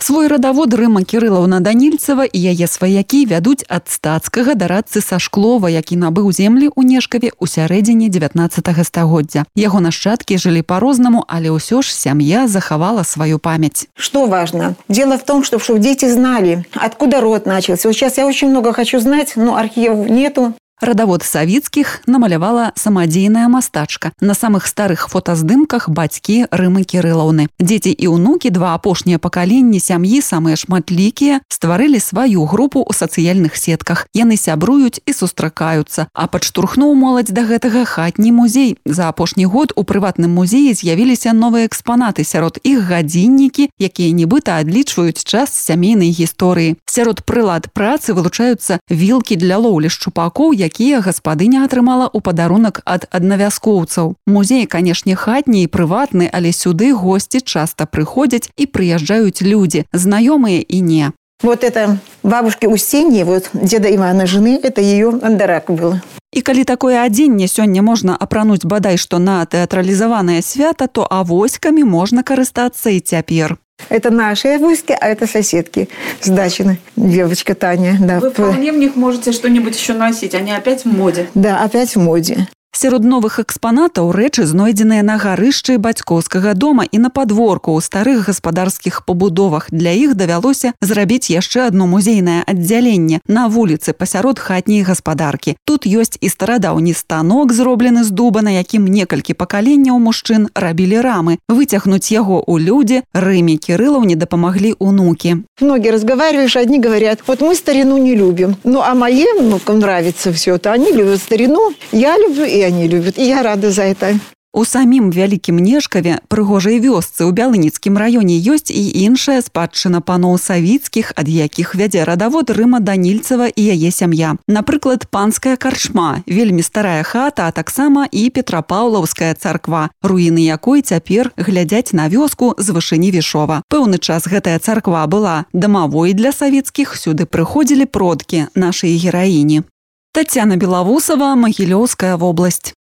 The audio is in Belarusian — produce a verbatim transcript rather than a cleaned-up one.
Свой радавод Рыма Кірылаўна Данільцева і яе сваякі вядуць ад стацкага да радцы Сашклова, які набыў землі ў Нешкаве ў сярэдзіне дзевятнаццатага стагоддзя. Яго нашчадкі жылі по-рознаму, але ўсё ж сям'я захавала сваю памяць. Что важно? Дело в том, что, чтобы дети знали, откуда род начался. Вот сейчас я очень много хочу знать, но архивов нету. Радавод Савіцкіх намалявала самадзейная мастачка. На самых старых фотаздымках бацькі Рымы Кірылаўны. Дзеці і ўнукі, два апошнія пакаленні сям'і, самыя шматлікія, стварылі сваю групу ў сацыяльных сетках. Яны сябруюць і сустракаюцца. А падштурхнуў моладзь да гэтага хатні музей. За апошні год у прыватным музеі з'явіліся новыя экспанаты. Сярод іх гадзіннікі, якія нібыта адлічваюць час сямейнай гісторыі. Сярод прылад працы вылучаюцца вілкі для лоўлі шчупакоў, якія гаспадыня атрымала ў падарунак ад аднавяскоўцаў. Музей, канешне, хатні і прыватны, але сюды госці часта прыходзяць і прыязджаюць людзі, знаёмыя і не. Вот это бабушки Устиньи, вот деда Ивана жены, это ее андарак был. І калі такое адзенне сёння можна апрануць бадай што на тэатралізаванае свята, то авоськамі можна карыстацца і цяпер. Это наши авоськи, а это соседки с дачины. Девочка Таня. Да. Вы вполне в них можете что-нибудь еще носить, они опять в моде. Да, опять в моде. Сярод новых экспанатаў рэчы знойдзеныя на гарышчы бацькоўскага дома і на падворку ў старых гаспадарскіх пабудовах. Для іх давялося зрабіць яшчэ адно музейнае аддзяленне на вуліцы пасярод хатняй гаспадаркі. Тут ёсць і старадаўні станок, зроблены з дуба, на якім некалькі пакаленняў мужчын рабілі рамы. Выцягнуць яго ў людзі Рыме Кірылаўне дапамаглі унукі. Многие разговариваешь, одни говорят, вот мы старину не любим. Ну, а моим внукам нравится все это. Они любят старину, я люблю, и они любят. И я рада за это. У самім Вялікім Нешкаве, прыгожай вёсцы ў Бялыніцкім раёне, ёсць і іншая спадчына паноў Савіцкіх, ад якіх вядзе радавод Рыма Данільцева і яе сям'я. Напрыклад, панская карчма, вельмі старая хата, а таксама і Петрапаўлаўская царква, руіны якой цяпер глядзяць на вёску з вышыні Вішова. Пэўны час гэтая царква была дамавой для Савіцкіх, сюды прыходзілі продкі нашай гераіні. Тацяна Белавусова, Магілёўская вобласць.